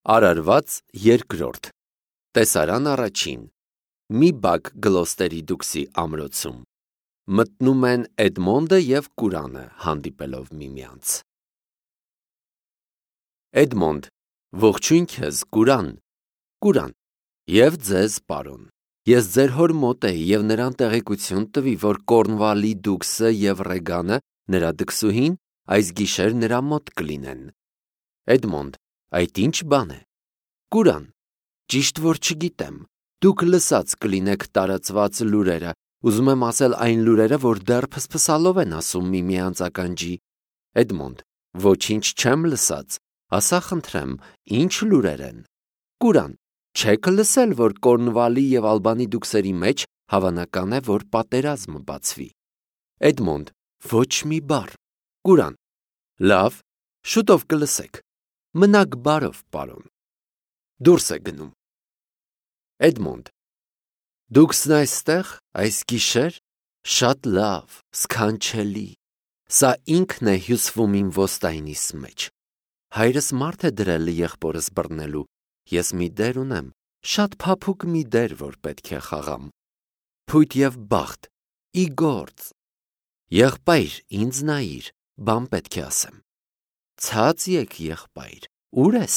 Արարված երկրորդ Տեսարան առաջին Մի բակ Գլոստերի դուքսի ամրոցում մտնում են Էդմոնդը և Կուրանը հանդիպելով միմյանց։ Էդմոնդ, ողջույն քեզ, Կուրան, Կուրան, և ձեզ, պարոն, ես ձեր հոր մոտ էի և նրան տեղեկություն տվի, որ Կորնվալի դուքսը և Ռեգանը, նրա դքսուհին, այս գիշեր նրա մոտ կլինեն։ Էդմոնդ, այդ ինչ բան է։ Կուրան, ճիշտ որ չգիտեմ, դուք լսած կլինեք տարածված լուրերը, ուզում եմ ասել այն լուրերը, որ դեռ փսփսալով են ասում միմյանց ականջի։ Էդմոնդ, ոչինչ չեմ լսած, ասա խնդրեմ, ինչ լուրեր են։ Կուրան, չեք լսել, որ Կորնվալի և Ալբանի դուքսերի մեջ հավանական է, որ պատերազմ բացվի։ Էդմոնդ, ոչ մի բառ։ Կուրան, լավ, շուտով կլսեք։ Մնաք բարով, պարոն։ Դուրս է գնում։ Էդմոնդ, դուքսն այստեղ, այս գիշեր, շատ լավ, սքանչելի, սա ինքն է հյուսվում իմ ոստայնիս մեջ։ Հայրս մարդ է դրել եղբորս բռնելու, ես մի դեր ունեմ, շատ փափուկ մի դեր, որ պետք է խաղամ։ Փույթ և բախտ, ի գործ։ Եղբայր, ինձ նայիր, բան պետք է ասեմ։ Ցած եկ, եղբայր, ուր ես։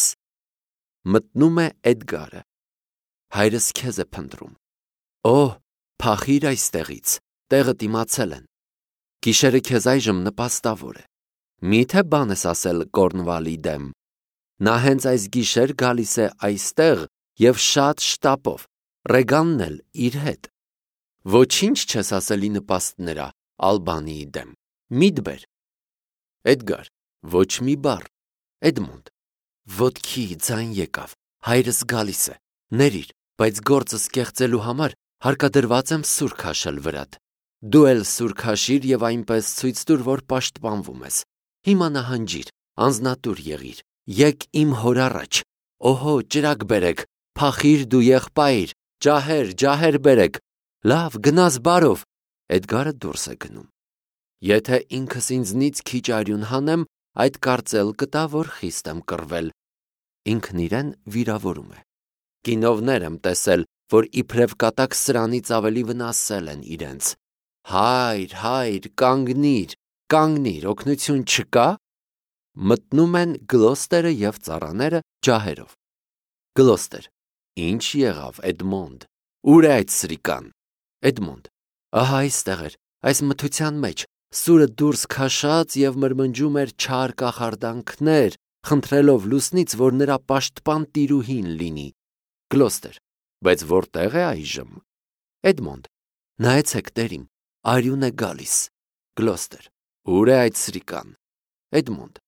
Մտնում է Էդգարը։ Հայրս քեզ է փնտրում։ Օհ, փախիր այստեղից, տեղդ իմացել են։ Գիշերը քեզ այժմ նպաստավոր է։ Մի՞թե բան ես ասել Կորնվալի դեմ։ Նա հենց այս գիշեր գալիս է այստեղ և շատ շտապով, Ռեգանն էլ իր հետ։ Ոչինչ չես ասել ի նպաստ նրա, Ալբանիի դեմ։ Մի՛տ բեր։ Էդգար, ոչ մի բառ։ Էդմոնդ, ոտքի ձայն եկավ, հայրս գալիս է, ներիր, բայց գործս կեղծելու համար հարկադրված եմ սուր քաշել վրադ։ Դու էլ սուր քաշիր և այնպես ցույց տուր, որ պաշտպանվում ես։ Հիմա նահանջիր, անձնատուր եղիր, եկ իմ հոր առաջ։ Օհո, ճրագ բերեք, փախիր դու եղբայր, ջահեր բերեք։ Լավ, գնաս բարով։ Էդգարը դուրս է գնում։ Եթե ինքս ինձնից քիչ արյուն հանեմ, այդ կարծել կտա, որ խիստ եմ կռվել։ Ինքն իրեն վիրավորում է։ Կինովներ եմ տեսել, որ իբրև կատակ սրանից ավելի վնասել են իրենց։ Հայր, կանգնիր, օգնություն չկա։ Մտնում են Գլոստերը և ծառաները ջահերով։ Գլոստեր, ինչ եղավ, Էդմոնդ, ուր է այդ սրիկան։ Էդմոնդ, ահա այստեղ էր, այս մթության մեջ, սուրը դուրս քաշած և մրմնջում էր չար կախարդանքներ, խնդրելով լուսնից, որ նրա պաշտպան տիրուհին լինի։ Գլոստեր, բայց որտեղ է այժմ։ Էդմոնդ, նայեցեք տերիմ, արյուն է գալիս։ Գլոստեր, ուր է այդ սրիկան։ Էդմոնդ,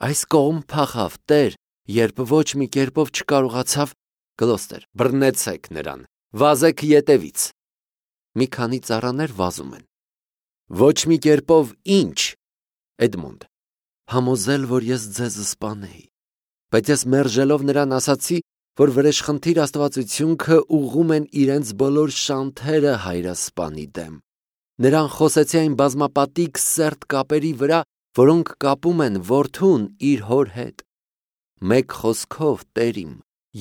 այս կողմ փախավ, տեր, երբ ոչ մի կերպով չկարողացավ։ Գլոստեր, բռնեցեք նրան, վազեք ետևից։ Մի քանի ծառաներ վազում են։ Ոչ մի կերպով ինչ։ Էդմոնդ, համոզել, որ ես ձեզ սպանեի, բայց ես մերժելով նրան ասացի, որ վրեժխնդիր աստվածությունքը ուղղում են իրենց բոլոր շանթերը հայրասպանի դեմ։ Նրան խոսեցի այն բազմապատիկ սերտ կապերի վրա, որոնք կապում են որդուն իր հոր հետ։ Մեկ խոսքով, տերիմ,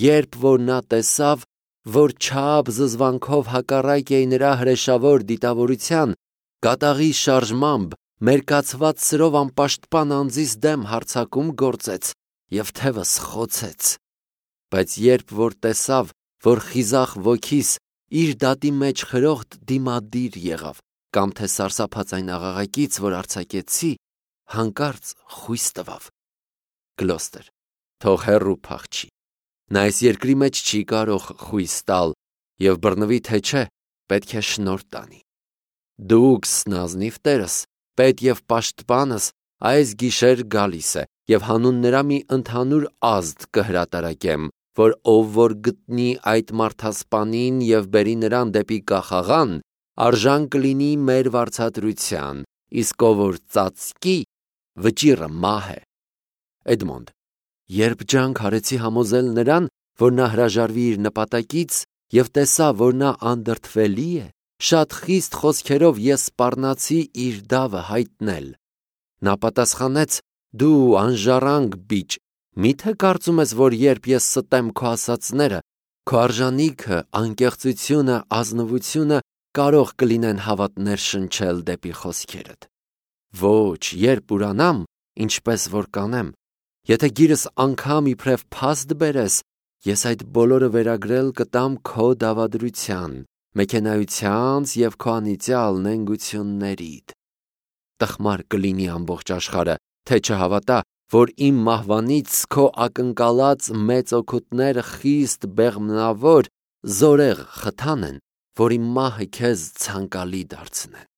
երբ որ նա տեսավ, որ չափ զզվանքով հակառակ էի նրա հրեշավոր դիտավորության, կատաղի շարժմամբ մերկացված սրով անպաշտպան անձիս դեմ հարձակում գործեց և թևս խոցեց։ Բայց երբ որ տեսավ, որ խիզախ ոգիս իր դատի մեջ խրոխտ դիմադիր եղավ, կամ թե սարսափած այն աղաղակից, որ արձակեցի, հանկարծ խույս տվավ։ Գլոստեր, թող հեռու փախչի։ Նա այս երկրի մեջ չի կարող խույս տալ և բռնվի թե չէ, պետք է շնորհ տանի։ Դուքս, նազնիվ տերս, պետ և պաշտպանս, այս գիշեր գալիս է և հանուն նրա մի ընդհանուր ազդ կհրատարակեմ, որ ով որ գտնի այդ մարդասպանին և բերի նրան դեպի կախաղան, արժան կլինի մեր վարձատրության, իսկ ով որ ծածկի, վճիռը մահ է։ Էդմոնդ, երբ ջանք արեցի համոզել նրան, որ նա հրաժարվի իր նպատակից և տեսա, որ նա անդրդվելի է, շատ խիստ խոսքերով ես սպառնացի իր դավը հայտնել։ Նա պատասխանեց. դու անժառանգ բիճ, Միթե կարծում ես, որ երբ ես ստեմ քո ասածները, քո արժանիքը, անկեղծությունը, ազնվությունը կարող կլինեն հավատներ շնչել դեպի խոսքերդ։ Ոչ, երբ ուրանամ, ինչպես որ կանեմ, եթե գիրս անգամ իբրև փաստ բերես, ես այդ բոլորը վերագրել կտամ քո դավադրության, մեքենայությանց և քո անիծյալ նենգություններիդ։ Տխմար կլինի ամբողջ աշխարհը, թե չհավատա, որ իմ մահվանից քո ակնկալած մեծ օգուտները խիստ բեղմնավոր, զորեղ խթան են, որ իմ մահը քեզ ցանկալի դարձնեն։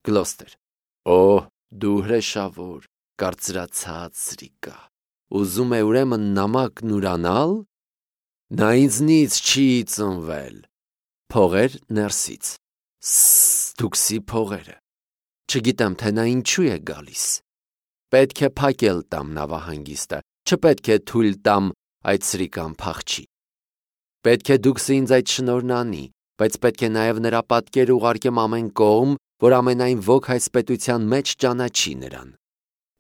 Գլոստեր. Օ, դու հրեշավոր, կարծրացած սրիկա, ուզում է ուրեմն նամակն ուրանալ։ Նա ինձնից չի ծնվել։ Փողեր ներսից։ Դուքսի փողերը։ Չգիտեմ, թե նա ինչու է գալիս։ Պետք է փակել տամ նավահանգիստը, չպետք է թույլ տամ այդ սրիկան փախչի։ Պետք է դուքսը ինձ այդ շնորհն անի, բայց պետք է նաև նրա պատկերը ուղարկեմ ամեն կողմ, որ ամենայն ոք այս պետության մեջ ճանաչի նրան։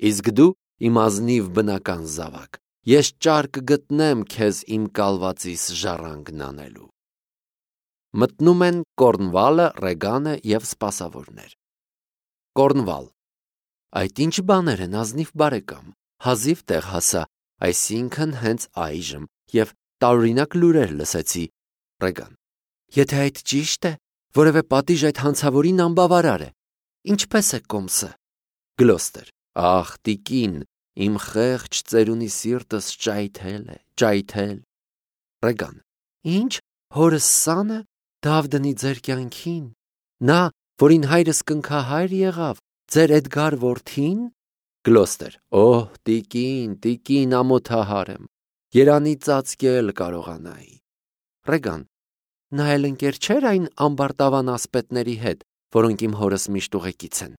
Իսկ դու իմ ազնիվ բնական զավակ, ես ճար կգտնեմ քեզ իմ կալվածիս ժառանգն անելու։ Մտնում են Կորնվալը, Ռեգանը և սպասավորներ։ Կորնվալ. Այդ ինչ բաներ են, ազնիվ բարեկամ, հազիվ տեղ հասա, այսինքն հենց այժմ, և տարօրինակ լուրեր լսեցի։ Ռեգան. Եթե այդ ճիշտ է, որևէ պատիժ այդ հանցավորին անբավարար է։ Ինչպես է կոմսը։ Գլոստեր. Ախ, տիկին, իմ խեղճ ծերունի սիրտս ճայթել է, ճայթել։ Ռեգան. Ինչ, հորս սանը դավ դնի ձեր կյանքին։ Նա, որին հայրս կնքահայր եղավ, ձեր Էդգար որդին։ Գլոստեր. Օհ, տիկին, ամոթահար եմ, երանի ծածկել կարողանայի։ Ռեգան. Նա էլ ընկեր չէր այն ամբարտավան ասպետների հետ, որոնք իմ հորս միշտ ուղեկից են։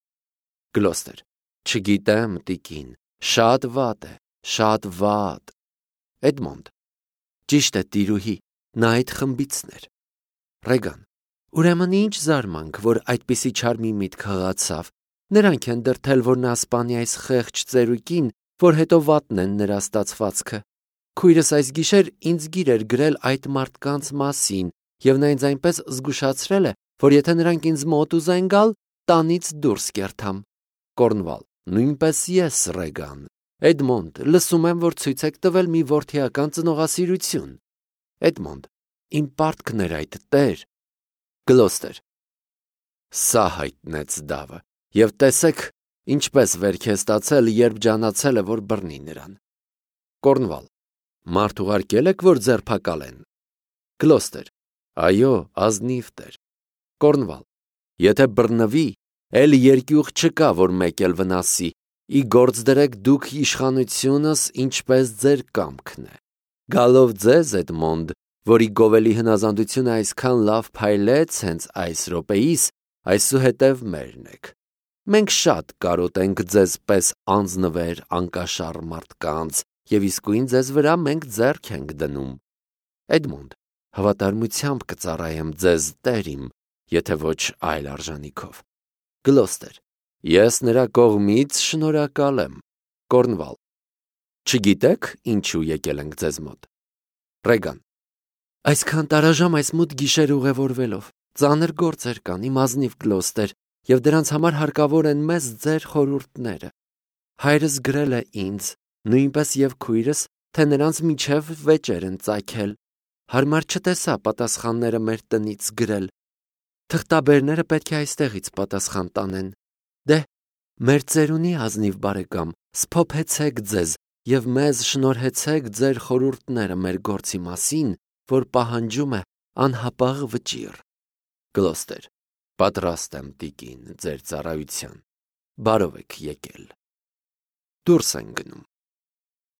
Գլոստեր. Չգիտեմ, տիկին, շատ վատ է, շատ վատ։ Էդմոնդ. Ճիշտ է, տիրուհի, նա այդ խմբիցն էր։ Ռեգան. Ուրեմն ինչ զարմանք, որ այդպիսի չար մի միտք հղացավ։ Նրանք են դրդել, որ նա սպանի այս խեղճ ծերուկին, որ հետո վատնեն նրա ստացվածքը։ Քույրս այս գիշեր ինձ գիր էր գրել այդ մարդկանց մասին, և նա ինձ այնպես զգուշացրել է, որ եթե նրանք ինձ մոտ ուզեն գալ, տանից դուրս կերթամ։ Կորնվալ. Նույնպես ես, Ռեգան։ Էդմոնդ, լսում եմ, որ ցույց եք տվել մի որդիական ծնողասիրություն։ Էդմոնդ. Իմ պարտքն էր այդ, տեր։ Գլոստեր. Սա հայտնեց դավը, և տեսեք, ինչպես վերք է ստացել, երբ ջանացել է, որ բռնի նրան։ Կորնվալ. Մարդ ուղարկել եք, որ ձերբակալեն։ Գլոստեր. Այո, ազնիվ տեր։ Կորնվալ. Եթե բռնվի, էլ երկյուղ չկա, որ մեկ էլ վնասի, ի գործ դրեք դուք իշխանությունս, ինչպես ձեր կամքն է։ Գալով ձեզ, Էդմոնդ, որի գովելի հնազանդությունը այսքան լավ փայլեց հենց այս րոպեիս, այսուհետև մերն եք։ Մենք շատ կարոտենք ձեզ պես անձնվեր, անկաշառ մարդկանց, և իսկույն ձեզ վրա մենք ձեռք ենք դնում։ Էդմոնդ, հավատարմությամբ կծառայեմ ձեզ, տեր իմ, եթե ոչ այլ արժանիքով։ Գլոստեր. Ես նրա կողմից շնորհակալ եմ։ Կորնվալ. Չգիտեք, ինչու եկել ենք ձեզ մոտ։ Ռեգան. Այսքան տարաժամ այս մութ գիշեր ուղևորվելով, ծանր գործեր կան, իմ ազնիվ Գլոստեր, և դրանց համար հարկավոր են մեզ ձեր խորհուրդները։ Հայրս գրել է ինձ, նույնպես և քույրս, թե նրանց միջև վեճեր են ծագել։ Հարմար չտեսա պատասխանները մեր տնից գրել։ Թղթաբերները պետք է այստեղից պատասխան տանեն։ Դե, մեր ծերունի ազնիվ բարեկամ, սփոփեցեք ձեզ և մեզ շնորհեցեք ձեր խորհուրդները մեր գործի մասին, որ պահանջում է անհապաղ վճիռ։ Գլոստեր. Պատրաստ եմ, տիկին, ձեր ծառայության։ Բարով եք եկել։ Դուրս են գնում։